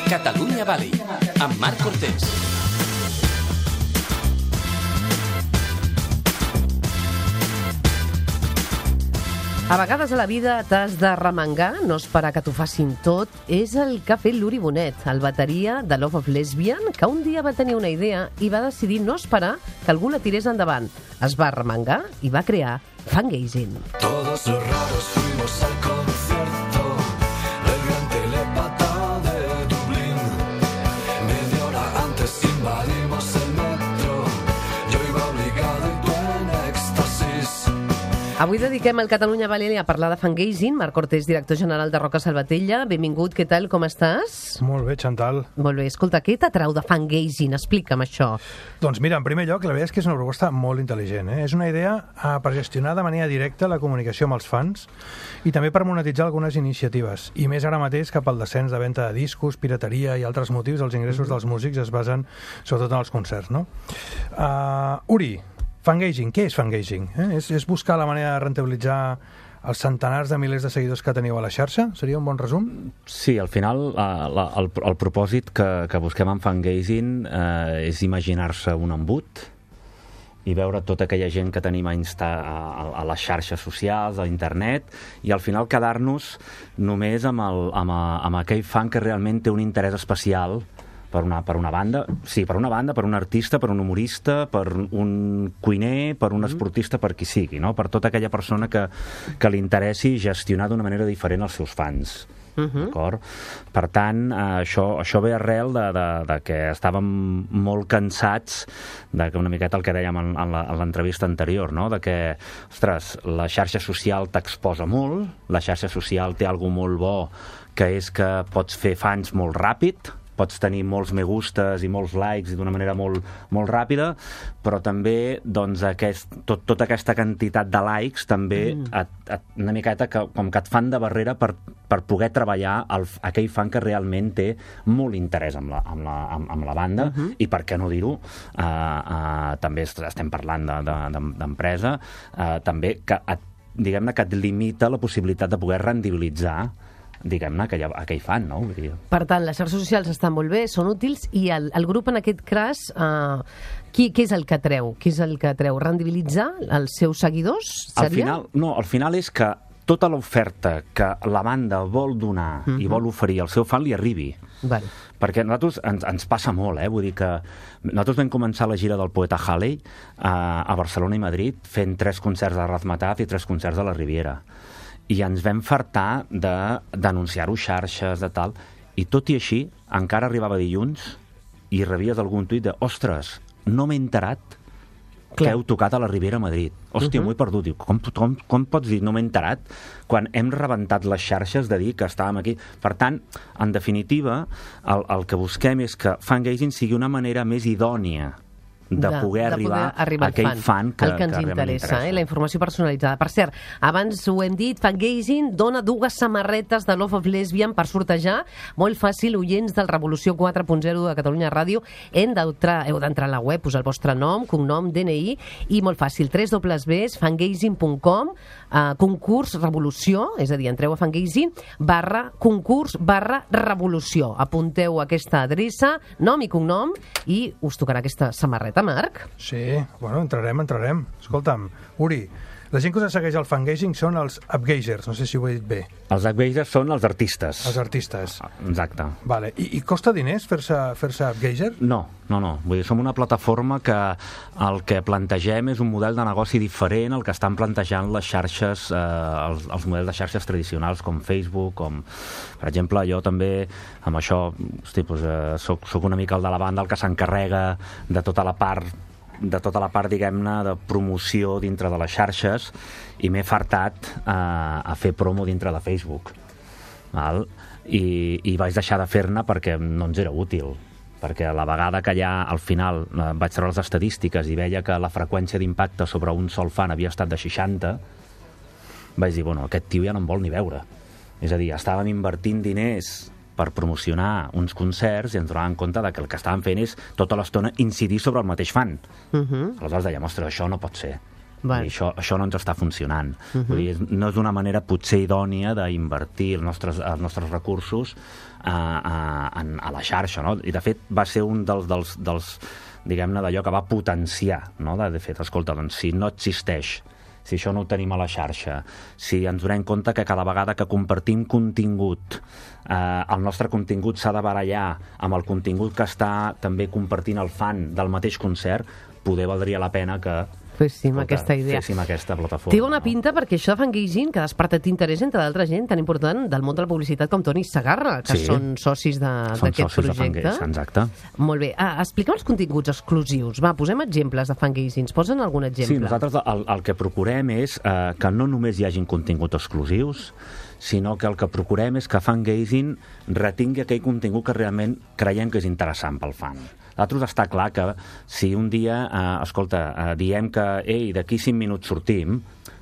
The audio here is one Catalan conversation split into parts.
Catalunya Valley, amb Marc Cortés. A vegades a la vida t'has de remengar, no esperar que t'ho facin tot. És el que ha fet l'Uri Bonet, el bateria de Love of Lesbian, que un dia va tenir una idea i va decidir no esperar que algú la tirés endavant. Es va remengar i va crear Fangazine. Todos los raros fuimos al concierto del gran telepata de Dublín. Media hora antes invadimos el metro. Yo iba obligado y tú en éxtasis. Avui dediquem el Catalunya Valley a parlar de Fangazine. Marc Cortés, director general de Roca Salvatella. Benvingut, què tal, com estàs? Molt bé, Chantal. Molt bé, escolta, què t'atrau de Fangazine? Explica'm això. Doncs mira, en primer lloc, la veritat és que és una proposta molt intel·ligent. És una idea per gestionar de manera directa la comunicació amb els fans i també per monetitzar algunes iniciatives. I més ara mateix que pel descens de venda de discos, pirateria i altres motius, els ingressos dels músics es basen sobretot en els concerts, no? Uri, Fangazine, què és Fangazine? És buscar la manera de rentabilitzar els centenars de milers de seguidors que teniu a la xarxa? Seria un bon resum? Sí, al final el propòsit que busquem en Fangazine és imaginar-se un embut i veure tota aquella gent que tenim a les xarxes socials, a internet, i al final quedar-nos només amb aquell fan que realment té un interès especial per una banda, per un artista, per un humorista, per un cuiner, per un esportista, per qui sigui, no? Per tota aquella persona que li interessi gestionar d'una manera diferent els seus fans. D'acord? Per tant, això ve arrel de que estàvem molt cansats de que una miqueta el que dèiem en l'entrevista anterior, no? De que, ostres, la xarxa social t'exposa molt, la xarxa social té alguna cosa molt bo, que és que pots fer fans molt ràpid, pots tenir molts me gustes i molts likes i d'una manera molt, molt ràpida, però també doncs, tota aquesta quantitat de likes també una miqueta com que et fan de barrera per poder treballar aquell fan que realment té molt interès amb la banda i per què no dir-ho, també estem parlant d'empresa, també que diguem-ne que et limita la possibilitat de poder rendibilitzar diguem-ne, aquell fan, no? Per tant, les xarxes socials estan molt bé, són útils, i el grup en aquest cas, què és el que treu? Què és el que treu? Rendibilitzar els seus seguidors? Seria? Al final és que tota l'oferta que la banda vol donar i vol oferir al seu fan li arribi. Vale. Perquè a nosaltres ens passa molt, vull dir que nosaltres vam començar la gira del poeta Halley a Barcelona i Madrid fent 3 concerts de Razmataz i 3 concerts de la Riviera. I ens vam fartar d'anunciar-ho xarxes, de tal, i tot i així, encara arribava dilluns i rebies algun tuit de ostres, no m'he enterat que heu tocat a la Riviera a Madrid. Hòstia, m'ho he perdut. Diu, com pots dir no m'he enterat quan hem rebentat les xarxes de dir que estàvem aquí? Per tant, en definitiva, el que busquem és que Fangazine sigui una manera més idònia de poder arribar a aquell fan que ens interessa, la informació personalitzada. Per cert, abans ho hem dit, Fangazine dona 2 samarretes de Love of Lesbian per sortejar. Molt fàcil, oients del Revolució 4.0 de Catalunya Ràdio, heu d'entrar a la web, posar el vostre nom, cognom, DNI, i molt fàcil, www.fangazine.com, concurs Revolució, és a dir, entreu a Fangazine, /concurs/revolució. Apunteu aquesta adreça, nom i cognom, i us tocarà aquesta samarreta. Marc? Sí, bueno, entrarem. Escolta'm, Uri, la gent que us segueix al Fangazine són els upgazers, no sé si ho he dit bé. Els upgazers són els artistes. Els artistes. Exacte. Vale. I costa diners fer-se upgazer? No. Vull dir, som una plataforma que el que plantegem és un model de negoci diferent al que estan plantejant les xarxes, els models de xarxes tradicionals com Facebook, com, per exemple, jo també amb això, soc una mica el de la banda el que s'encarrega de tota la part, diguem-ne, de promoció dintre de les xarxes, i m'he fartat a fer promo dintre de Facebook. I vaig deixar de fer-ne perquè no ens era útil. Perquè a la vegada que ja al final vaig treure les estadístiques i veia que la freqüència d'impacte sobre un sol fan havia estat de 60, vaig dir, bueno, aquest tio ja no em vol ni veure. És a dir, estàvem invertint diners per promocionar uns concerts i ens donàvem compte que el que estàvem fent és tota l'estona incidir sobre el mateix fan. Aleshores dèiem, ostres, això no pot ser. Val. I això no ens està funcionant. Vull dir, no és una manera potser idònia d'invertir els nostres recursos a la xarxa, no? I de fet va ser un dels diguem-ne, d'allò que va potenciar, no? De fet, escolta, doncs, si no existeix, si això no ho tenim a la xarxa, si ens donem compte que cada vegada que compartim contingut, el nostre contingut s'ha de barallar amb el contingut que està també compartint el fan del mateix concert, poder valdria la pena que Féssim aquesta idea. féssim aquesta plataforma. Té una pinta perquè això de Fangaging, que ha despertat interès entre d'altra gent tan important del món de la publicitat com Toni Segarra, que són socis d'aquest projecte. Exacte. Molt bé. Explica'm els continguts exclusius. Va, posem exemples de Fangaging. Posen algun exemple? Sí, nosaltres el que procurem és que no només hi hagin continguts exclusius, sinó que el que procurem és que Fangaging retingui aquell contingut que realment creiem que és interessant pel fan. Nosaltres està clar que si un dia, diem que d'aquí 5 minuts sortim,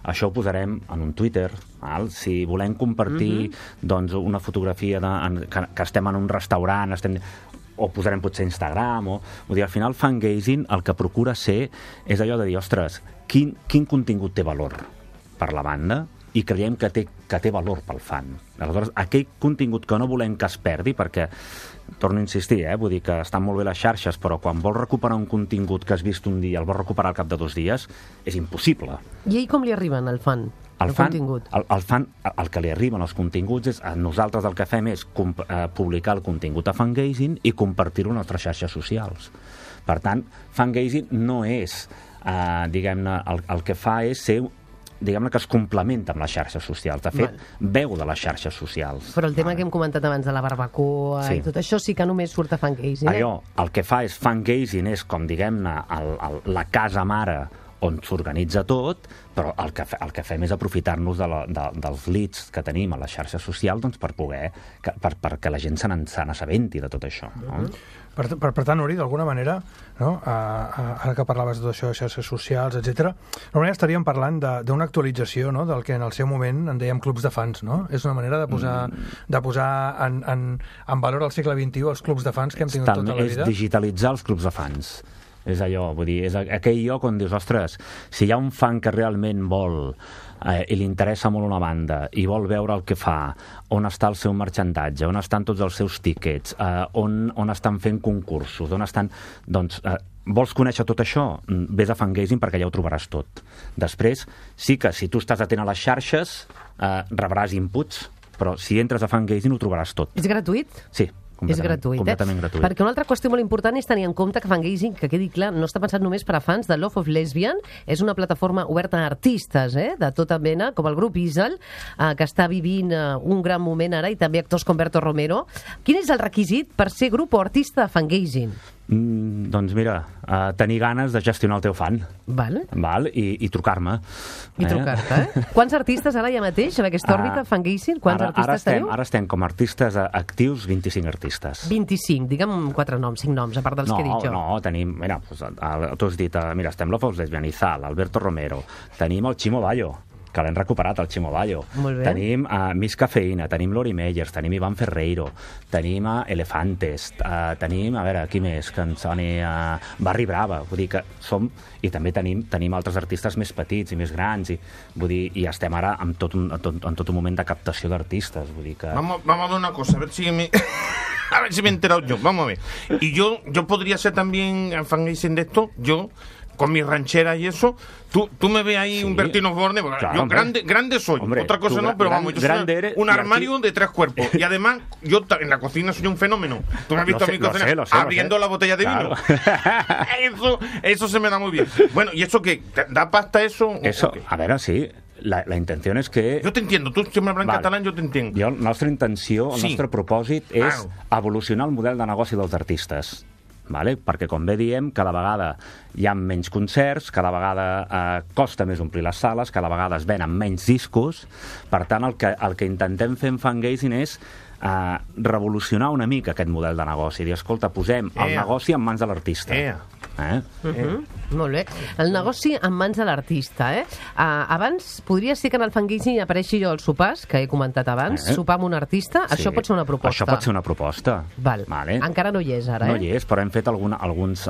això ho posarem en un Twitter. Val? Si volem compartir doncs, una fotografia que estem en un restaurant, o posarem potser Instagram, vull dir, al final Fangaging el que procura ser és allò de dir, ostres, quin contingut té valor per la banda i creiem que té valor pel fan. Aleshores, aquell contingut que no volem que es perdi, perquè, torno a insistir, vull dir que estan molt bé les xarxes, però quan vols recuperar un contingut que has vist un dia, el vols recuperar al cap de 2 dies, és impossible. I ell com li arriben al fan? El contingut? El fan, el que li arriben els continguts és, nosaltres el que fem és publicar el contingut a Fangaging i compartir-ho a les nostres xarxes socials. Per tant, Fangaging no és, diguem-ne, el que fa és ser, diguem-ne, que es complementa amb les xarxes socials. De fet, veu de les xarxes socials. Però el tema que hem comentat abans de la barbacoa i tot això sí que només surt a Fangaging. Allò, el que fa és Fangaging és com, diguem-ne, la casa mare on s'organitza tot, però el que fem és aprofitar-nos dels leads que tenim a les xarxes socials doncs, perquè la gent se n'assabenti de tot això. No? Per tant, Uri, d'alguna manera, no? Ara que parlaves de tot això, de xarxes socials, etc., d'alguna manera estaríem parlant d'una actualització, no? Del que en el seu moment en dèiem clubs de fans, no? És una manera de posar en valor al segle XXI els clubs de fans que hem tingut tota la vida. És digitalitzar els clubs de fans. És allò, vull dir, és aquell lloc on dius, ostres, si hi ha un fan que realment vol i li interessa molt una banda i vol veure el que fa, on està el seu marxandatge, on estan tots els seus tíquets, on estan fent concursos, on estan... Doncs, vols conèixer tot això? Ves a Fangaging perquè ja ho trobaràs tot. Després, sí que si tu estàs atent a les xarxes, rebràs inputs, però si entres a Fangaging ho trobaràs tot. És gratuït? Sí. És gratuït, completament gratuït. Perquè una altra qüestió molt important és tenir en compte que Fangaging, que quedi clar, no està pensat només per a fans de Love of Lesbian, és una plataforma oberta a artistes, de tota mena, com el grup Isal, que està vivint un gran moment ara, i també actors com Berto Romero. Quin és el requisit per ser grup o artista de Fangaging? Doncs mira, tenir ganes de gestionar el teu fan. Val? I trucar-me. I trucar-te, Quants artistes ara hi ha mateix en aquesta òrbita, Fangaging? Quants artistes teniu? Ara estem com a artistes actius, 25 artistes. 25, digue'm 4 noms, 5 noms, a part dels que he dit jo. No, tenim, mira, tu has dit, mira, estem Love of Lesbian, Izal, Alberto Romero, tenim el Chimo Bayo, que l'hem recuperat, el Chimo Bayo. Tenim Miss Cafeïna, tenim Lori Meyers, tenim Iván Ferreiro, tenim Elefantes, tenim, a veure, qui més, que ens soni Barri Brava, vull dir que som... I també tenim altres artistes més petits i més grans, i estem ara en tot un moment de captació d'artistes, vull dir que... Vamos a ver una cosa, a ver si me he enterado yo, vamos a ver. Y yo podría ser también Fangaging de esto, yo... con mi ranchera y eso, tú me ves ahí, sí, un Bertino Osborne, claro, yo grande soy, hombre, otra cosa no, pero vamos, yo soy un armario de 3 cuerpos, y además, yo en la cocina soy un fenómeno. Tú me has visto a mi cocina abriendo la botella de vino. Eso se me da muy bien. Bueno, ¿y eso qué? ¿Da pasta eso? Eso, a ver, sí. La intenció és que... Jo t'entiendo, tu si m'hablas en català, jo t'entenc. La nostra intenció, el nostre propòsit és evolucionar el model de negoci dels artistes. Vale? Perquè, com bé diem, cada vegada hi ha menys concerts, cada vegada costa més omplir les sales, cada vegada es venen menys discos. Per tant, el que intentem fer en Fangaging és revolucionar una mica aquest model de negoci. Dir, escolta, posem el negoci en mans de l'artista. Molt bé. El negoci en mans de l'artista, Abans, podria ser que en el Fangaging apareixi jo als sopars, que he comentat abans, sopar amb un artista. Sí. Això pot ser una proposta. Això pot ser una proposta. Vale. Encara no hi és, ara, No hi és, però hem fet alguns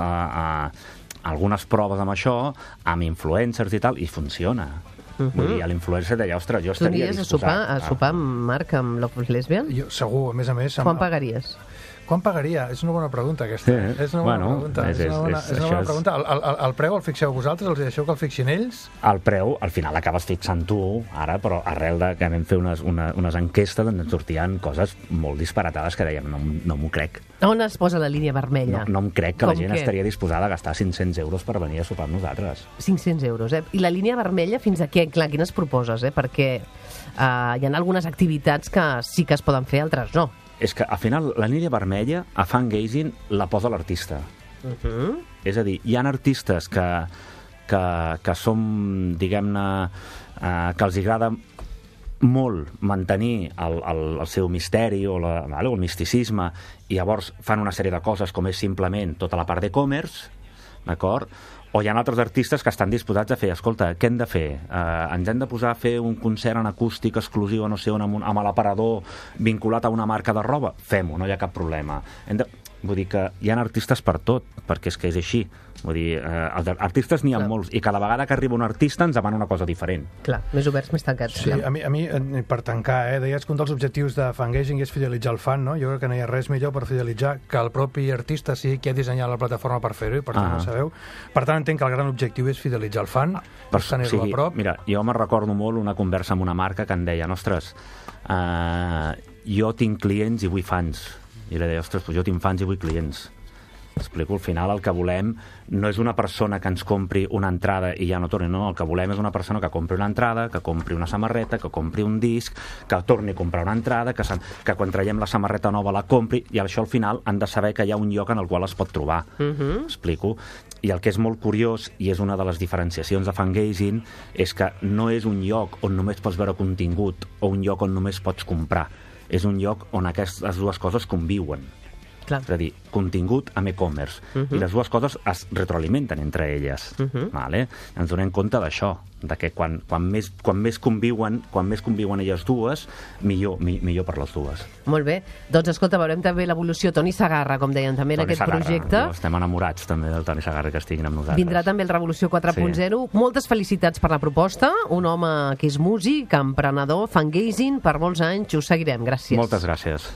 algunes proves amb això, amb influencers i tal, i funciona. Vull dir, a l'influencer deia, ostres, jo Tu estaria aniries disposat... a sopar, Marc, amb Love is Lesbian? Jo, segur, a més a més... Quan pagaries? Quan pagaria? És una bona pregunta, aquesta. Sí, És una bona pregunta. És una bona pregunta. El preu el fixeu vosaltres? Els deixeu que el fixin ells? El preu, al final l'acabes fixant tu, ara, però arrel de que vam fer unes enquestes on ens sortien coses molt disparatades que dèiem, no m'ho crec. On es posa la línia vermella? No em crec que la Com gent què? estaria disposada a gastar 500 euros per venir a sopar amb nosaltres. 500 euros, eh? I la línia vermella fins a què? Clar, quines proposes, eh? Perquè hi ha algunes activitats que sí que es poden fer, altres no. És que, al final, la línia vermella, a Fangazing, la posa l'artista. És a dir, hi ha artistes que són, diguem-ne, que els agrada molt mantenir el seu misteri o el misticisme, i llavors fan una sèrie de coses com és simplement tota la part d'e-commerce, d'acord? O hi ha altres artistes que estan disposats a fer, escolta, què hem de fer? Ens hem de posar a fer un concert en acústic exclusiu, no sé on, amb l'aparador vinculat a una marca de roba? Fem-ho, no hi ha cap problema. Vull dir que hi ha artistes per tot, perquè és que és així. Vull dir, artistes n'hi ha molts, i cada vegada que arriba un artista ens demana una cosa diferent. Clar, més oberts, més tancats. Sí, a mi, per tancar, deies que un dels objectius de Fangazing és fidelitzar el fan, no? Jo crec que no hi ha res millor per fidelitzar que el propi artista sigui qui ha dissenyat la plataforma per fer-ho, i per tant ho sabeu. Per tant, entenc que el gran objectiu és fidelitzar el fan, per tenir-lo a prop. Mira, jo me'n recordo molt una conversa amb una marca que em deia, ostres, jo tinc clients i vull fans. I li deia, ostres, jo tinc fans i vull clients. Explico, al final el que volem no és una persona que ens compri una entrada i ja no torni, no, el que volem és una persona que compri una entrada, que compri una samarreta, que compri un disc, que torni a comprar una entrada, que quan traiem la samarreta nova la compri, i això al final han de saber que hi ha un lloc en el qual es pot trobar. Explico? I el que és molt curiós, i és una de les diferenciacions de Fangazing, és que no és un lloc on només pots veure contingut o un lloc on només pots comprar. És un lloc on aquestes dues coses conviuen. Clar. És a dir, contingut amb e-commerce. I les dues coses es retroalimenten entre elles. Vale? Ens donem compte d'això, de que quan més conviuen elles dues, millor per les dues. Molt bé. Doncs escolta, veurem també l'evolució. Toni Segarra, com deien també en aquest projecte. Estem enamorats també del Toni Segarra, que estiguin amb nosaltres. Vindrà també el Revolució 4.0. Moltes felicitats per la proposta. Un home que és músic, emprenedor, Fangazing, per molts anys. Us seguirem. Gràcies. Moltes gràcies.